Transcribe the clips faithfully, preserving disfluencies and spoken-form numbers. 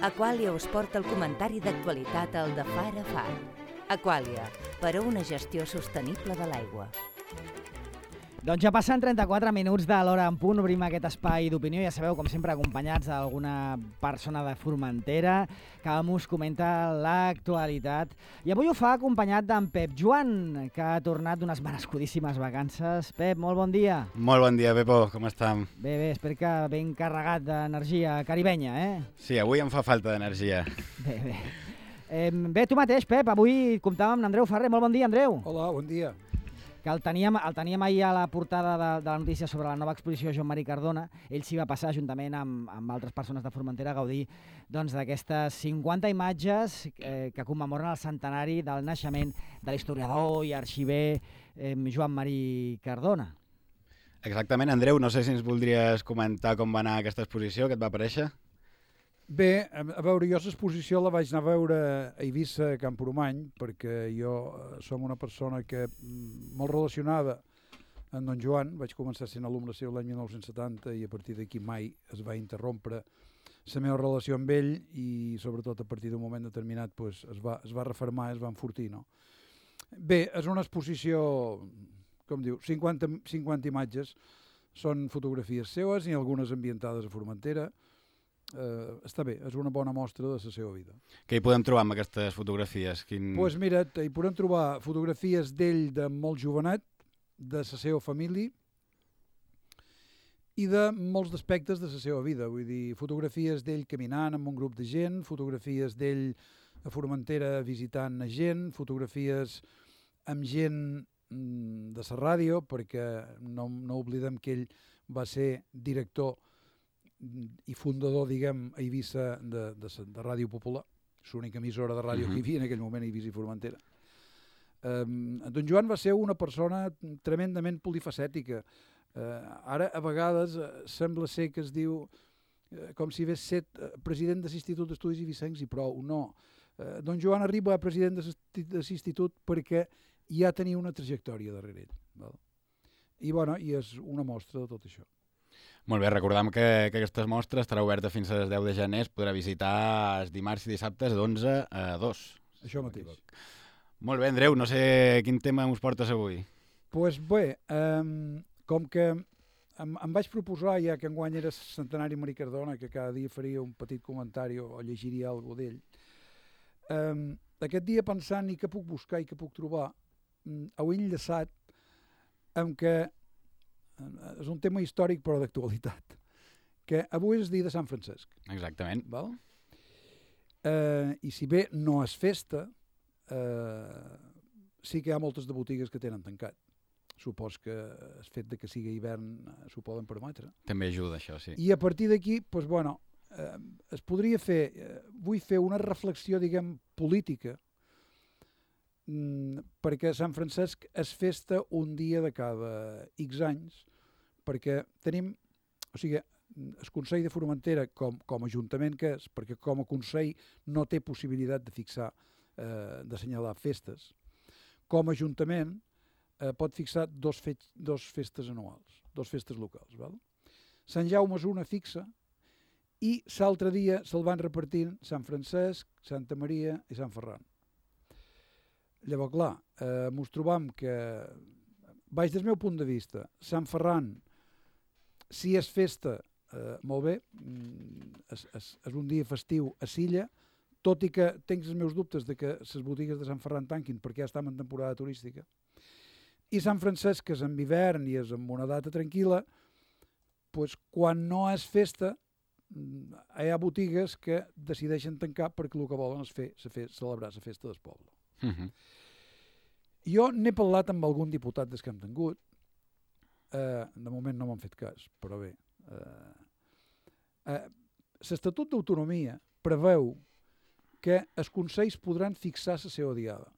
Aquàlia us porta el comentari d'actualitat al de Far a Far. Aquàlia, per a una gestió sostenible de l'aigua. Doncs ja passen trenta-quatre minuts de l'hora en punt, obrim aquest espai d'opinió, ja sabeu, com sempre, acompanyats d'alguna persona de Formentera que us comenta l'actualitat. I avui ho fa acompanyat d'en Pep Joan, que ha tornat d'unes merescudíssimes vacances. Pep, molt bon dia. Molt bon dia, Pepo, com estem? Bé, bé, espero que ben carregat d'energia caribenya, eh? Sí, avui em fa falta d'energia. Bé, bé. Eh, bé, tu mateix, Pep, avui comptàvem amb Andreu Ferrer. Molt bon dia, Andreu. Hola, bon dia. Que el teníem, el teníem ahir a la portada de, de la notícia sobre la nova exposició Joan-Marí Cardona. Ell s'hi va passar juntament amb, amb altres persones de Formentera a gaudir doncs, d'aquestes cinquanta imatges eh, que commemoren el centenari del naixement de l'historiador i arxiver eh, Joan-Marí Cardona. Exactament, Andreu, no sé si ens voldries comentar com va anar aquesta exposició, que et va aparèixer? Bé, a veure, jo l'exposició la vaig anar a veure a Eivissa, a Camprodon, perquè jo som una persona que molt relacionada amb Don Joan. Vaig començar sent alumne seu l'any mil nou-cents setanta i a partir d'aquí mai es va interrompre la meva relació amb ell i sobretot a partir d'un moment determinat pues, es, va, es va refermar, es va enfortir. No? Bé, és una exposició, com diu, cinquanta, cinquanta imatges, són fotografies seues i algunes ambientades a Formentera. Uh, està bé, és una bona mostra de la seva vida. Què hi podem trobar amb aquestes fotografies? Quin... Pues mira, hi podem trobar fotografies d'ell de molt jovenet, de la seva família i de molts aspectes de la seva vida. Vull dir, fotografies d'ell caminant amb un grup de gent, fotografies d'ell a Formentera visitant a gent, fotografies amb gent mm, de la ràdio, perquè no, no oblidem que ell va ser director i fundador, diguem, a Eivissa de, de, de Ràdio Popular, l'única emissora de ràdio uh-huh. que hi havia en aquell moment a Eivissa i Formentera. Um, Don Joan va ser una persona tremendament polifacètica. Uh, ara, a vegades, uh, sembla ser que es diu uh, com si hagués set uh, president de l'Institut d'Estudis Eivissencs i prou. No. Uh, Don Joan arriba a president de l'Institut perquè ja tenia una trajectòria darrere ell. Val? I, bueno, i és una mostra de tot això. Molt bé, recordem que, que aquesta mostra estarà oberta fins al deu de gener, es podrà visitar els dimarts i dissabtes d'onze a dos. Això mateix. Molt bé, Andreu, no sé quin tema ens portes avui. Doncs pues bé, um, com que em, em vaig proposar, ja que enguany era centenari Marí Cardona, que cada dia faria un petit comentari o, o llegiria alguna cosa d'ell, um, aquest dia pensant i què puc buscar i què puc trobar, um, ho he enllaçat amb que és un tema històric però d'actualitat, que avui és el dia de Sant Francesc. Exactament. Val? Eh, I si bé no és festa, eh, sí que hi ha moltes de botigues que tenen tancat. Supos que el fet de que sigui hivern s'ho poden permetre. També ajuda això, sí. I a partir d'aquí, doncs, bueno, eh, es podria fer, eh, vull fer una reflexió, diguem, política, perquè Sant Francesc és festa un dia de cada X anys, perquè tenim, o sigui, el Consell de Formentera com, com a ajuntament que és, perquè com a Consell no té possibilitat de fixar, eh, d'assenyalar festes, com a ajuntament eh, pot fixar dos, fe dos festes anuals, dos festes locals. Val? Sant Jaume és una fixa i l'altre dia se'l van repartint Sant Francesc, Santa Maria i Sant Ferran. Llavors, clar, eh, ens trobam que, baix del meu punt de vista, Sant Ferran, si és festa, eh, molt bé, és, és, és un dia festiu a Silla, tot i que tinc els meus dubtes de que les botigues de Sant Ferran tanquin perquè ja estem en temporada turística. I Sant Francesc, que és en hivern i és en una data tranquil·la, pues, quan no és festa, hi ha botigues que decideixen tancar perquè el que volen és fer, fer celebrar la festa del poble. Uh-huh. Jo n'he parlat amb algun diputat des que hem tingut, eh, de moment no m'han fet cas, però bé. Eh, eh, L'Estatut d'Autonomia preveu que els consells podran fixar la seva diada,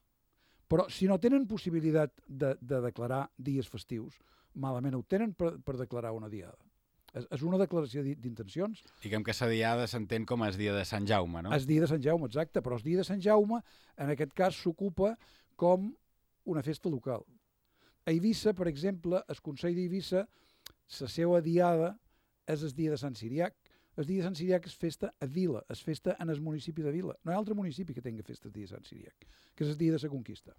però si no tenen possibilitat de, de declarar dies festius, malament ho tenen per, per declarar una diada. És, és una declaració d'intencions. Diguem que la diada s'entén com el dia de Sant Jaume, no? El dia de Sant Jaume, exacte, però el dia de Sant Jaume, en aquest cas, s'ocupa com una festa local. A Eivissa, per exemple, el Consell d'Eivissa, la seva diada és el dia de Sant Siriac, el dia de Sant Siriac és festa a Vila, és festa en el municipi de Vila. No hi ha altre municipi que tingui festa el dia de Sant Siriac, que és el dia de la conquista.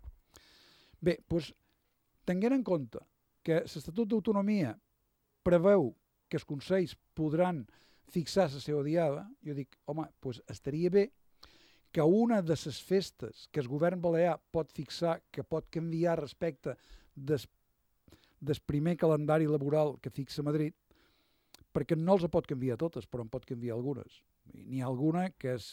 Bé, doncs, tenint en compte que l'Estatut d'Autonomia preveu que els consells podran fixar la seva diada, jo dic, home, doncs estaria bé que una de les festes que el govern balear pot fixar, que pot canviar respecte des, del primer calendari laboral que fixa Madrid, perquè no els pot canviar totes, però en pot canviar algunes. N'hi ha alguna que és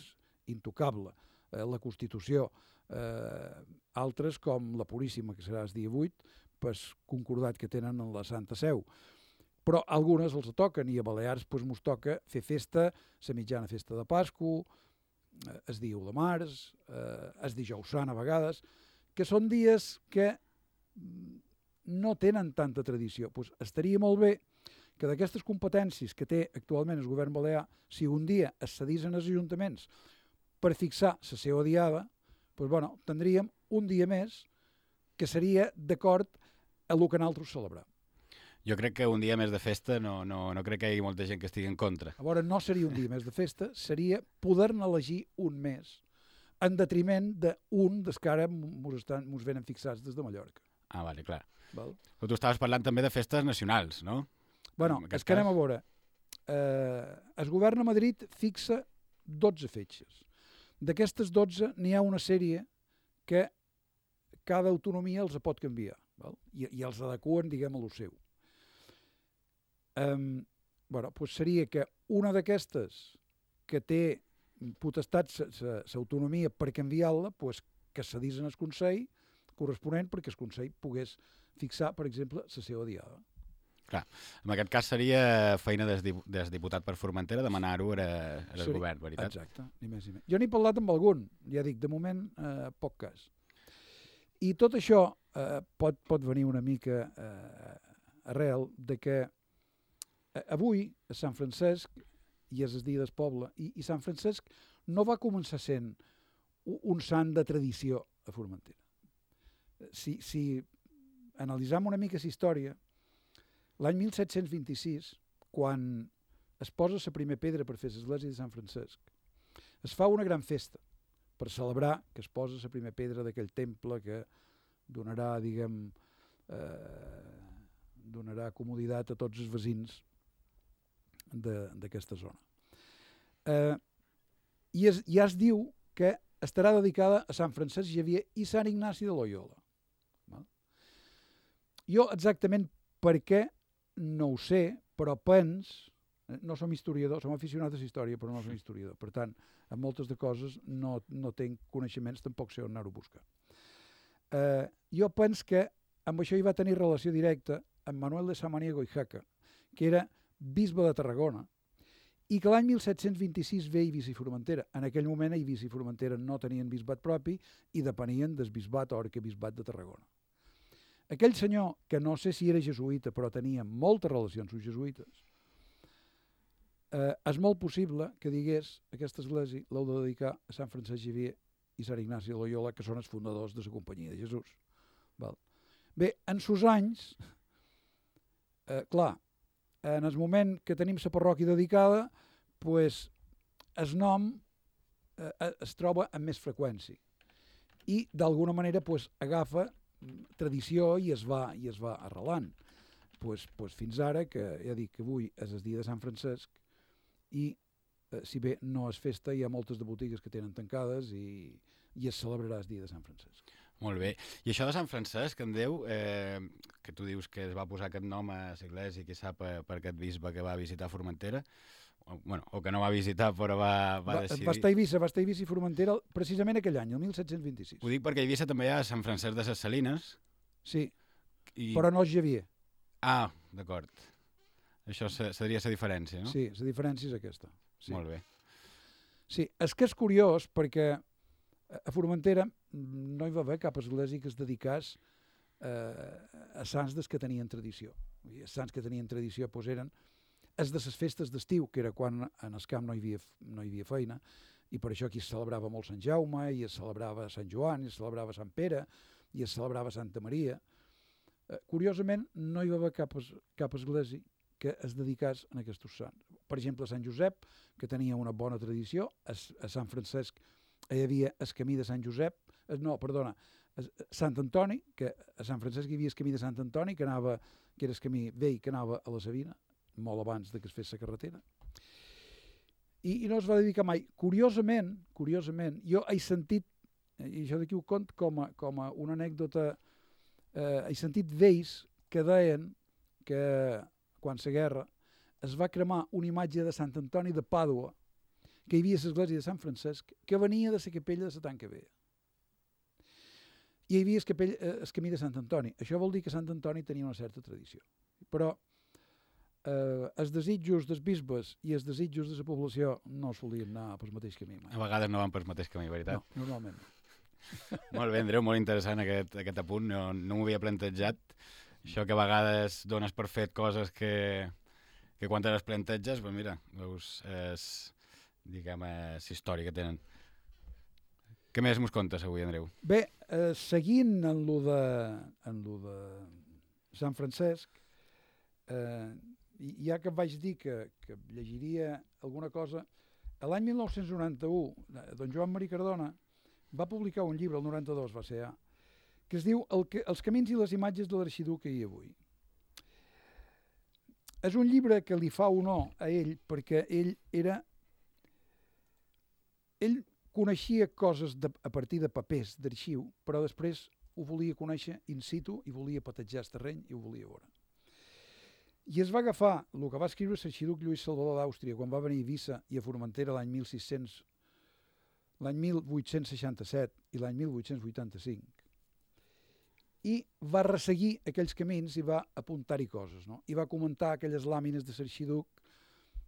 intocable, eh, la Constitució, eh, altres com la Puríssima, que serà el dia vuit, pues, concordat que tenen en la Santa Seu. Però algunes els toquen, i a Balears pues, mos toca fer festa, la mitjana festa de Pasqua, eh, el dia u de març, eh, el dijous sant a vegades, que són dies que no tenen tanta tradició. Pues, estaria molt bé que d'aquestes competències que té actualment el govern balear, si un dia es cedissin als ajuntaments per fixar la seva diada, pues, bueno, tindríem un dia més que seria d'acord a el que nosaltres celebram. Jo crec que un dia més de festa no, no, no crec que hi hagi molta gent que estigui en contra. A veure, no seria un dia més de festa, seria poder-ne elegir un més, en detriment d'un dels que ara mos, estan, mos venen fixats des de Mallorca. Ah, vale, clar. Val? Però tu estaves parlant també de festes nacionals, no? Bueno, és que anem a veure. Eh, el govern a Madrid fixa dotze fetges. D'aquestes dotze n'hi ha una sèrie que cada autonomia els pot canviar, val? I, i els adequen, diguem, a lo seu. Um, bueno, pues seria que una d'aquestes que té potestat l'autonomia per canviar-la, pues que cedís en el Consell corresponent perquè el Consell pogués fixar, per exemple, la seva diada. Clar, en aquest cas seria feina des, des diputat per Formentera demanar-ho al govern, veritat? Exacte, ni més ni menys. Jo n'he parlat amb algun, ja dic, de moment eh, poc cas. I tot això eh, pot, pot venir una mica eh, arrel de que eh, avui a Sant Francesc, i és el dia del poble, i, i Sant Francesc no va començar sent un, un sant de tradició a Formentera. Si, si analitzam una mica la història, l'any mil set-cents vint-i-sis, quan es posa la primera pedra per fer l'església de Sant Francesc, es fa una gran festa per celebrar que es posa la primera pedra d'aquell temple que donarà, diguem, eh, donarà comoditat a tots els veïns d'aquesta zona. Eh, i, es, I es diu que estarà dedicada a Sant Francesc Xavier i Sant Ignasi de Loyola. Val? Jo exactament per què no ho sé, però pens, no som historiador, som aficionats a la història, però no som historiador. Per tant, en moltes de coses no, no tinc coneixements, tampoc sé on anar-ho a buscar. Eh, jo pens que amb això hi va tenir relació directa amb Manuel de Samaniego i Jaca, que era bisbe de Tarragona, i que l'any mil set-cents vint-i-sis ve a Eivissa i Formentera. En aquell moment a Eivissa i Formentera no tenien bisbat propi i depenien del bisbat o arquebisbat de Tarragona. Aquell senyor, que no sé si era jesuïta, però tenia moltes relacions amb jesuïtes, eh, és molt possible que digués aquesta església l'heu de dedicar a Sant Francesc Xavier i Sant Ignasi de Loyola, que són els fundadors de la Companyia de Jesús. Val. Bé, en sos anys, eh, clar, en el moment que tenim la parròquia dedicada, pues, el nom eh, es troba amb més freqüència i d'alguna manera pues, agafa tradició i es va, i es va arrelant. Pues, pues fins ara, que ja dic que avui és el dia de Sant Francesc i eh, si bé no és festa, hi ha moltes de botigues que tenen tancades i, i es celebrarà el dia de Sant Francesc. Molt bé. I això de Sant Francesc, en Déu, eh, que tu dius que es va posar aquest nom a l'església, qui sap, per, per aquest bisbe que va visitar Formentera, o, bueno, o que no va visitar però va, va, va decidir... Va estar a Eivissa, va estar a Eivissa i Formentera precisament aquell any, el mil set-cents vint-i-sis. Ho dic perquè a Eivissa també hi ha Sant Francesc de ses Salines. Sí, i... però no és Xavier. Ah, d'acord. Això seria la diferència, no? Sí, la diferència és aquesta. Sí. Molt bé. Sí, és que és curiós perquè a Formentera no hi va haver cap església que es dedicés eh, a sants des que tenien tradició. Els sants que tenien tradició doncs, eren els de les festes d'estiu, que era quan en el camp no hi havia, no hi havia feina, i per això aquí es celebrava molt Sant Jaume, i es celebrava Sant Joan, i es celebrava Sant Pere, i es celebrava Santa Maria. Eh, curiosament, no hi va haver cap, cap església que es dedicés a aquests sants. per exemple, a Sant Josep, que tenia una bona tradició, a, a Sant Francesc hi havia el camí de Sant Josep, no, perdona, a Sant Antoni, que a Sant Francesc hi havia el camí de Sant Antoni, que anava, que era el camí vell que anava a la Savina, molt abans de que es fes la carretera. I, i no es va dedicar mai. Curiosament, curiosament, jo he sentit, i això d'aquí ho cont com a, com a una anècdota, eh, he sentit vells que deien que quan la guerra es va cremar una imatge de Sant Antoni de Pàdua, que hi havia a l'església de Sant Francesc, que venia de la capella de la Tanca Vella. I hi havia el, capell, eh, el camí de Sant Antoni. Això vol dir que Sant Antoni tenia una certa tradició. Però eh, els desitjos dels bisbes i els desitjos de la població no solien anar pel mateix camí. Mai. A vegades no van pel mateix camí, veritat? No, normalment no. Molt bé, Andreu, molt interessant aquest, aquest apunt. No, no m'ho havia plantejat. Això que a vegades dones per fet coses que, que quan te les planteges, doncs mira, veus, és, diguem, és història que tenen. Què més mos contes avui, Andreu? Bé, eh, seguint en lo de, en lo de Sant Francesc, eh, ja que vaig dir que, que llegiria alguna cosa, l'any mil nou-cents noranta-u, don Joan Marí Cardona va publicar un llibre, el noranta-dos va ser ja, que es diu el que, Els camins i les imatges de l'arxiduc que hi ha avui. És un llibre que li fa honor a ell perquè ell era... Ell coneixia coses de, a partir de papers d'arxiu, però després ho volia conèixer in situ i volia patejar el terreny i ho volia veure. I es va agafar el que va escriure l'arxiduc Lluís Salvador d'Àustria quan va venir a Eivissa i a Formentera l'any mil sis-cents, l'any mil vuit-cents seixanta-set i l'any mil vuit-cents vuitanta-cinc, i va resseguir aquells camins i va apuntar-hi coses, no? I va comentar aquelles làmines de l'arxiduc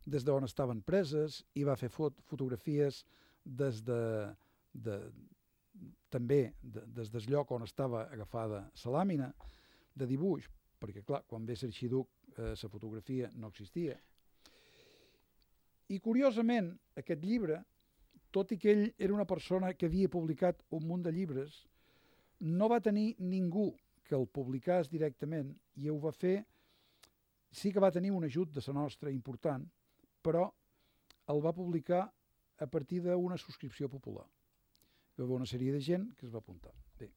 des d'on estaven preses i va fer fot fotografies des de, de, també de, des del lloc on estava agafada la làmina de dibuix, perquè clar, quan ve l'arxiduc la eh, fotografia no existia. I curiosament, aquest llibre, tot i que ell era una persona que havia publicat un munt de llibres, no va tenir ningú que el publicés directament i ho va fer, sí que va tenir un ajut de la nostra important, però el va publicar a partir d'una subscripció popular. Hi va haver una sèrie de gent que es va apuntar. Bé.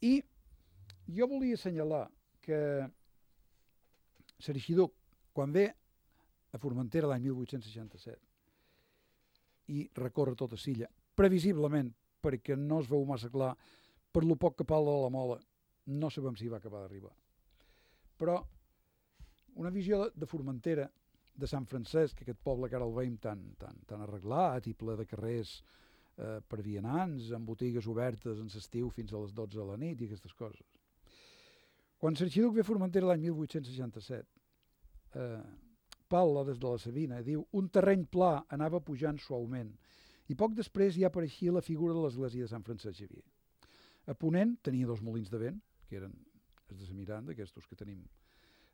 I jo volia assenyalar que l'arxiduc, quan ve a Formentera l'any mil vuit-cents seixanta-set i recorre tota Silla, previsiblement, perquè no es veu massa clar, per lo poc que parla de la Mola, no sabem si va acabar d'arribar. Però una visió de, de Formentera, de Sant Francesc, aquest poble que ara el veiem tan, tan, tan arreglat i ple de carrers eh, per vianants, amb botigues obertes en l'estiu fins a les dotze de la nit i aquestes coses. Quan l'arxiduc ve a Formentera l'any mil vuit-cents seixanta-set, eh, parla des de la Savina, diu, un terreny pla anava pujant suaument i poc després ja apareixia la figura de l'església de Sant Francesc Xavier. A Ponent tenia dos molins de vent, que eren els de la Miranda, aquests que tenim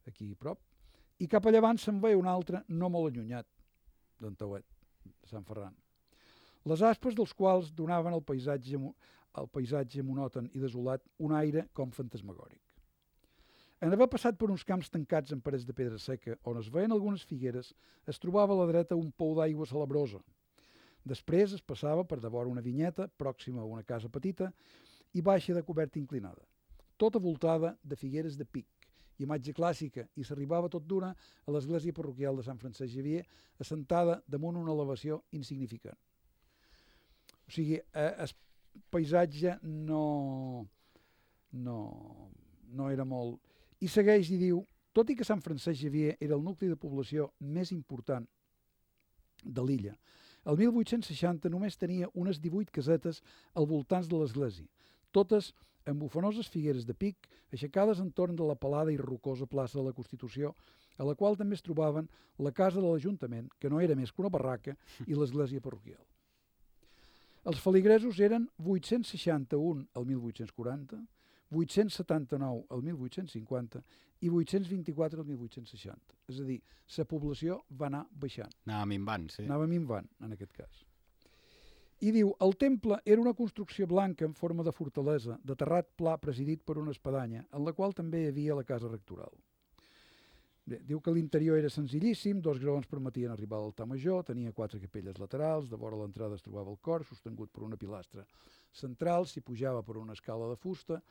aquí a prop, i cap a llevant se'n veia un altre no molt allunyat, d'en Tauet, de Sant Ferran. Les aspes dels quals donaven al paisatge, al paisatge monòton i desolat un aire com fantasmagòric. En haver passat per uns camps tancats amb parets de pedra seca, on es veien algunes figueres, es trobava a la dreta un pou d'aigua salabrosa. Després es passava per devora una vinyeta, pròxima a una casa petita, i baixa de coberta inclinada, tota voltada de figueres de pic, imatge clàssica, i s'arribava tot d'una a l'església parroquial de Sant Francesc Xavier, assentada damunt una elevació insignificant. O sigui, el paisatge no, no, no era molt... I segueix i diu, tot i que Sant Francesc Xavier era el nucli de població més important de l'illa, el mil vuit-cents seixanta només tenia unes divuit casetes al voltants de l'església, totes amb bufanoses figueres de pic aixecades entorn de la pelada i rocosa plaça de la Constitució, a la qual també es trobaven la casa de l'Ajuntament, que no era més que una barraca, i l'església parroquial. Els feligresos eren vuit-cents seixanta-un al mil vuit-cents quaranta, vuit-cents setanta-nou al mil vuit-cents cinquanta i vuit-cents vint-i-quatre al mil vuit-cents seixanta. És a dir, la població va anar baixant. Anava minvant, sí. Anava minvant, en aquest cas. I diu, el temple era una construcció blanca en forma de fortalesa, de terrat pla presidit per una espadanya, en la qual també hi havia la casa rectoral. Bé, diu que l'interior era senzillíssim, dos graons permetien arribar a l'altar major, tenia quatre capelles laterals, de vora l'entrada es trobava el cor, sostingut per una pilastra central, s'hi pujava per una escala de fusta,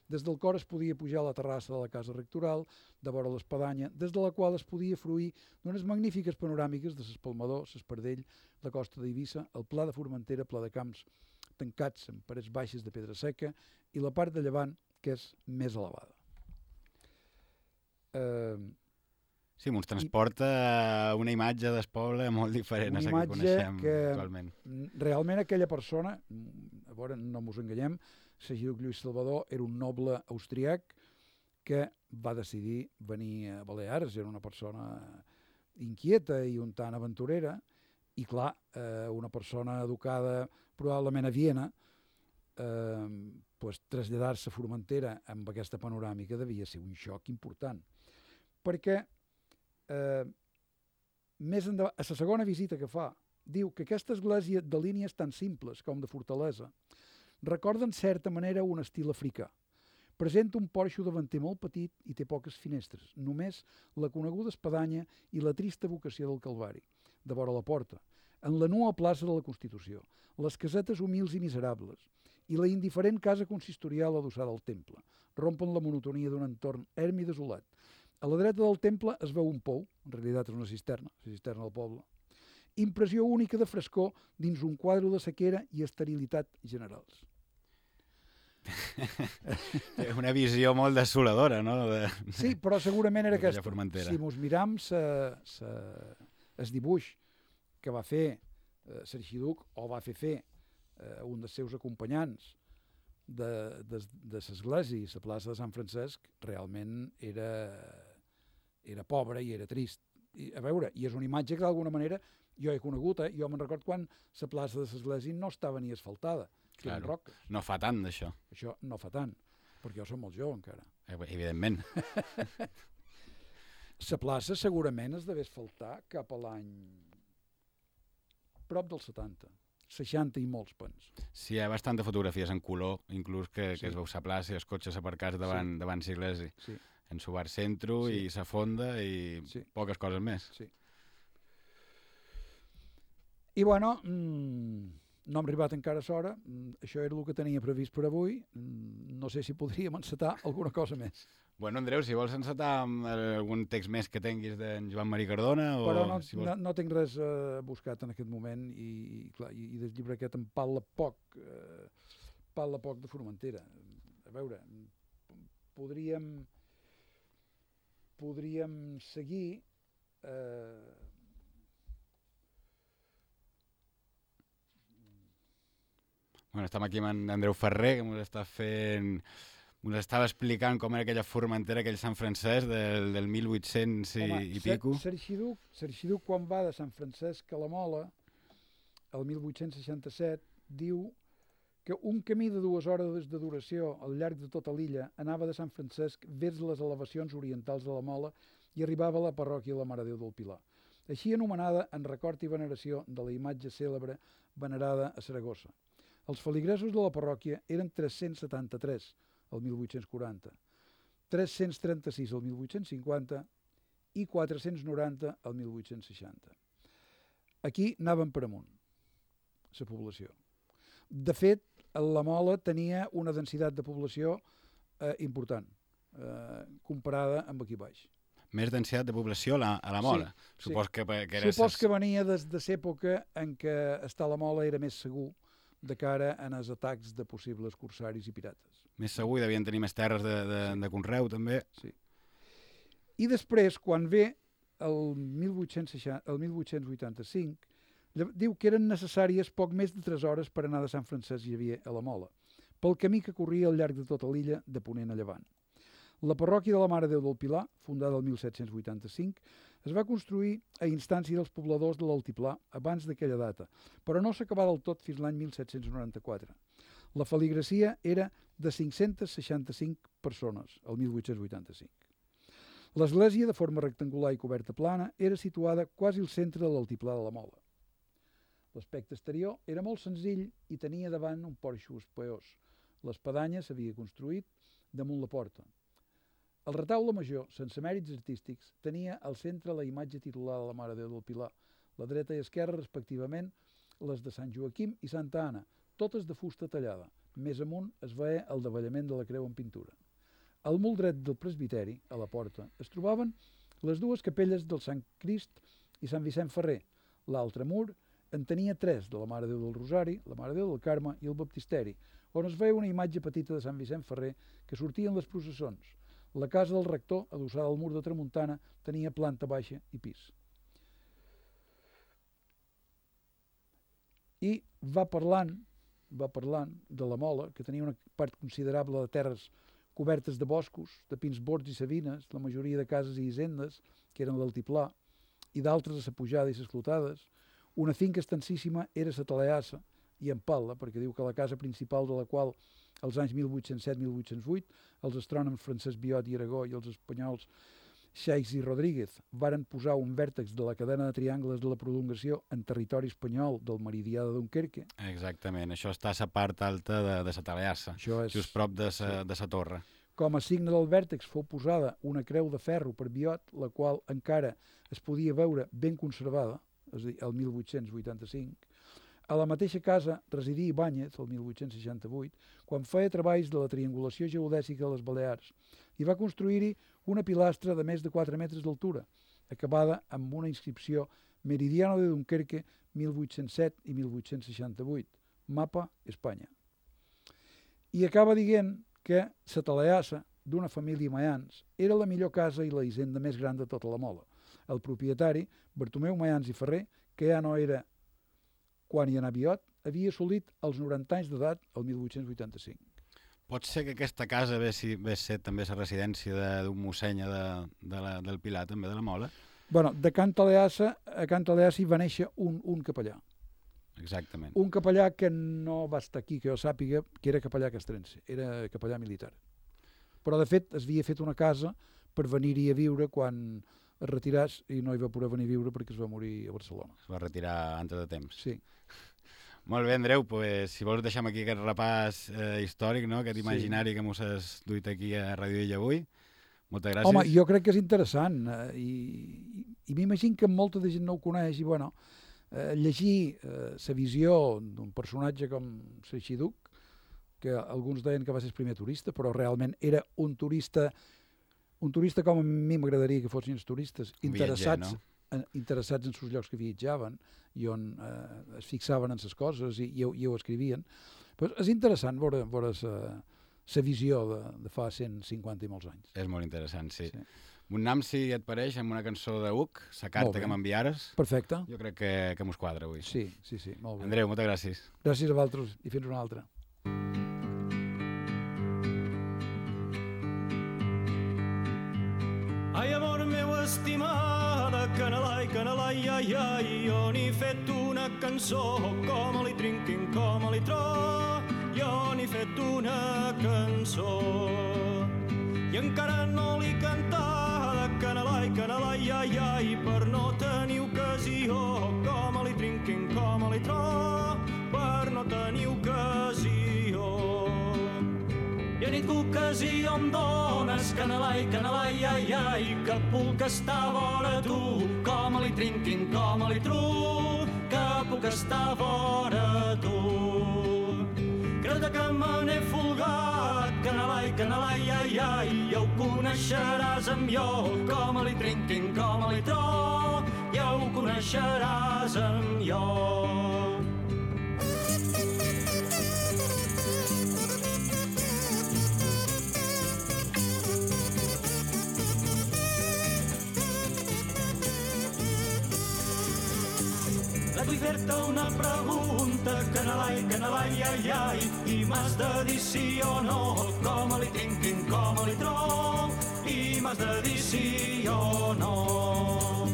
des del cor es podia pujar a la terrassa de la casa rectoral, de vora l'espadanya, des de la qual es podia fruir d'unes magnífiques panoràmiques de l'Espalmador, l'Espardell, la costa d'Eivissa, el Pla de Formentera, Pla de Camps, tancats amb parets baixes de pedra seca, i la part de llevant, que és més elevada. Eh... Sí, ens transporta una imatge del poble molt diferent a la que coneixem que actualment. Realment aquella persona, a veure, no mos enganyem, l'arxiduc Lluís Salvador era un noble austríac que va decidir venir a Balears, era una persona inquieta i un tant aventurera, i clar, eh, una persona educada probablement a Viena, eh, pues, traslladar-se a Formentera amb aquesta panoràmica devia ser un xoc important. Perquè Eh, més endavant, a la segona visita que fa, diu que aquesta església de línies tan simples com de fortalesa recorda en certa manera un estil africà. Presenta un porxo davanter molt petit i té poques finestres, només la coneguda espadanya i la trista vocació del Calvari, de vora la porta, en la nua plaça de la Constitució, les casetes humils i miserables i la indiferent casa consistorial adossada al temple, rompen la monotonia d'un entorn erm i desolat. A la dreta del temple es veu un pou, en realitat és una cisterna, la cisterna del poble. Impressió única de frescor dins un quadre de sequera i esterilitat generals. Una visió molt desoladora, no? De... Sí, però segurament era aquesta. Formentera. Si mos miram el dibuix que va fer eh, l'arxiduc, o va fer fer eh, un dels seus acompanyants de, de, de l'església i la plaça de Sant Francesc, realment era, era pobre i era trist. I, a veure, i és una imatge que d'alguna manera jo he conegut, eh? Jo me'n record quan la plaça de l'església no estava ni asfaltada, claro, no fa tant d'això. Això no fa tant, perquè jo som molt jove encara. Evidentment. La plaça segurament es devia asfaltar cap a l'any prop dels setanta. seixanta i molts pens. Sí, hi ha bastanta fotografies en color, inclús que, sí. que es veu la plaça i els cotxes aparcats davant, sí. davant l'església. Sí. En su bar centro sí. i la fonda i sí. poques coses més. Sí. I bueno, mmm, no hem arribat encara a l'hora, mm, això era el que tenia previst per avui, mm, no sé si podríem encetar alguna cosa més. Bueno, Andreu, si vols encetar amb algun text més que tinguis d'en Joan Maria Cardona... O Però no, si vols... no, no tinc res eh, buscat en aquest moment i, i, clar, i, i del llibre aquest em parla poc, eh, parla poc de Formentera. A veure, podríem, podríem seguir... Eh, Bueno, estem aquí amb en Andreu Ferrer, que ens està fent... Ens estava explicant com era aquella Formentera, aquell Sant Francesc del, del mil vuit-cents i, Home, i pico. L'arxiduc, l'arxiduc quan va de Sant Francesc a la Mola, el mil vuit-cents seixanta-set, diu que un camí de dues hores de duració al llarg de tota l'illa anava de Sant Francesc vers les elevacions orientals de la Mola i arribava a la parròquia de la Mare de Déu del Pilar, així anomenada en record i veneració de la imatge cèlebre venerada a Saragossa. Els feligresos de la parròquia eren tres-cents setanta-tres el mil vuit-cents quaranta, tres-cents trenta-sis el mil vuit-cents cinquanta i quatre-cents noranta el mil vuit-cents seixanta. Aquí anàvem per amunt, la població. De fet, la Mola tenia una densitat de població eh, important, eh, comparada amb aquí baix. Més densitat de població a la, a la Mola. Sí, Supos sí. que, que era Supos ses... que venia des de l'època en què estar a la Mola era més segur de cara als atacs de possibles corsaris i pirates. Més segur, i devien tenir més terres de, de, sí. de conreu, també. Sí. I després, quan ve el mil vuit-cents vuitanta-cinc, diu que eren necessàries poc més de tres hores per anar de Sant Francesc Xavier a la Mola, pel camí que corria al llarg de tota l'illa de ponent a llevant. La parròquia de la Mare de Déu del Pilar, fundada el mil set-cents vuitanta-cinc, es va construir a instància dels pobladors de l'Altiplà abans d'aquella data, però no s'acabà del tot fins l'any mil set-cents noranta-quatre. La feligresia era de cinc-cents seixanta-cinc persones, el mil vuit-cents vuitanta-cinc. L'església, de forma rectangular i coberta plana, era situada quasi al centre de l'Altiplà de la Mola. L'aspecte exterior era molt senzill i tenia davant un porxo espaiós. L'espadanya s'havia construït damunt la porta. El retaule major, sense mèrits artístics, tenia al centre la imatge titular de la Mare de Déu del Pilar, la dreta i esquerra, respectivament, les de Sant Joaquim i Santa Anna, totes de fusta tallada. Més amunt es veia el davallament de la creu en pintura. Al mur dret del presbiteri, a la porta, es trobaven les dues capelles del Sant Crist i Sant Vicent Ferrer. L'altre mur en tenia tres, de la Mare de Déu del Rosari, la Mare de Déu del Carme i el Baptisteri, on es veia una imatge petita de Sant Vicent Ferrer que sortia en les processons. La casa del rector, adossada al mur de tramuntana, tenia planta baixa i pis. I va parlant, va parlant de la Mola, que tenia una part considerable de terres cobertes de boscos, de pins bords i savines, la majoria de cases i hisendes, que eren l'altiplà, i d'altres a sa pujada i s'esclotades. Una finca extensíssima era sa Talaassa, i en Palla, perquè diu que la casa principal de la qual, als anys mil vuit-cents set mil vuit-cents vuit, els astrònoms Francesc Biot i Aragó i els espanyols Xeix i Rodríguez varen posar un vèrtex de la cadena de triangles de la prolongació en territori espanyol del meridià de Dunkerque. Exactament, això està a la part alta de, de la Talaassa, és... just prop de sa, sí. de sa torre. Com a signe del vèrtex fou posada una creu de ferro per Biot, la qual encara es podia veure ben conservada, és a dir, el mil vuit-cents vuitanta-cinc. A la mateixa casa residí Ibáñez, el mil vuit-cents seixanta-vuit, quan feia treballs de la triangulació geodèsica a les Balears, i va construir-hi una pilastra de més de quatre metres d'altura, acabada amb una inscripció Meridiano de Dunkerque mil vuit-cents set i mil vuit-cents seixanta-vuit, mapa Espanya. I acaba dient que sa Talaassa, d'una família Mayans, era la millor casa i la hisenda més gran de tota la Mola. El propietari, Bartomeu Mayans i Ferrer, que ja no era quan hi anà Biot, havia assolit els noranta anys d'edat el mil vuit-cents vuitanta-cinc. Pot ser que aquesta casa ve, si, ve ser també la residència d'un mossenya de, de la, del Pilar, també de la Mola? Bueno, de Can Talaassa a Can Talaassa hi va néixer un, un capellà. Exactament. Un capellà que no va estar aquí, que jo sàpiga, que era capellà castrense, era capellà militar. Però, de fet, es havia fet una casa per venir-hi a viure quan es retiràs i no hi va poder venir a viure perquè es va morir a Barcelona. Es va retirar antes de temps. Sí. Molt bé, Andreu, pues, si vols deixem aquí aquest repàs eh, històric, no? Aquest imaginari sí. que mos has duit aquí a Radio Illa avui. Moltes gràcies. Home, jo crec que és interessant eh, i, i, i m'imagino que molta de gent no ho coneix i, bueno, eh, llegir la eh, visió d'un personatge com Seixíduc, que alguns deien que va ser el primer turista, però realment era un turista, un turista com a mi m'agradaria que fossin els turistes, un interessats, viatger, no? en, interessats en els llocs que viatjaven i on eh, es fixaven en les coses i, i, ho, i ho escrivien. Però és interessant veure, veure la visió de, de fa cent cinquanta i molts anys. És molt interessant, sí. sí. Un nam, si et pareix, amb una cançó de Uc, la carta que m'enviares. Perfecte. Jo crec que, que mos quadra avui. Sí, sí, sí, molt bé. Andreu, moltes gràcies. Gràcies a vosaltres i fins una altra. Ai, amor meu estimada, canelai, canelai, ai, ai, jo n'he fet una cançó, com li trinquin, com li tro, jo n'he fet una cançó. I encara no l'he cantada, canelai, canelai, ai, ai, per no tenir ocasió, com li trinquin, com li tro, per no tenir ocasió. I a nit que ocasió em dones, canelai, canelai, ai, ai, que puc estar vora tu, com li trinquin, com li tru, que puc estar vora tu. Creu-te que me n'he folgat, canelai, canelai, ai, ai, ja ho coneixeràs amb jo, com li trinquin, com li tro, ja ho coneixeràs amb jo. Vull fer-te una pregunta, canelai, canelai, ai, ai, i m'has de dir sí o no, com li trinquin, com li tro, i m'has de dir sí o no.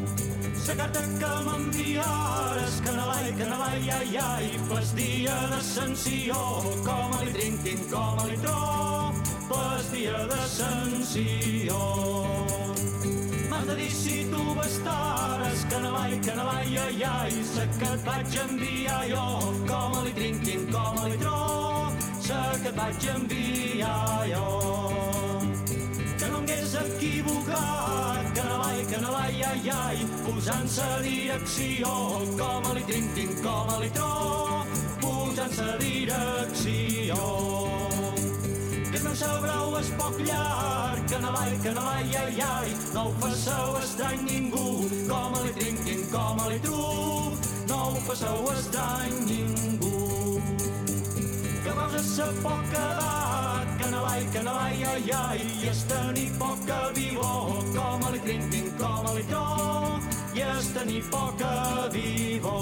La carta que m'enviares, canelai, canelai, ai, ai, pas dia d'ascensió, com li trinquin, com li tro, pas dia d'ascensió. M'has de dir si tu bastares, canelai, canelai, ai, ai, sa que et vaig enviar jo, com li trinquin, com li tro, sa que et vaig enviar jo. Que no hagués equivocat, canalai, canalai, ai, ai, posant-se a direcció, com a li trin-tin, com a li tro, posant-se a direcció. Que el meu sabrau és poc llarg, canalai, canalai, ai, ai, no ho faceu estrany ningú, com a li trin-tin, com a li tru, no ho faceu estrany ningú. Que veus a sa poca edat, canalai, canalai, ai, ai, i és tenir poca vivó, com a li trin-tin, com a li tro, i és tenir poca vivó.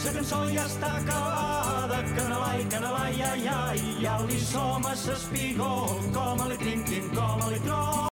La cançó ja està acabada, canalai, canalai, ai, ai, ja li som a s'espigó, com a li trin-tin, com a li tro.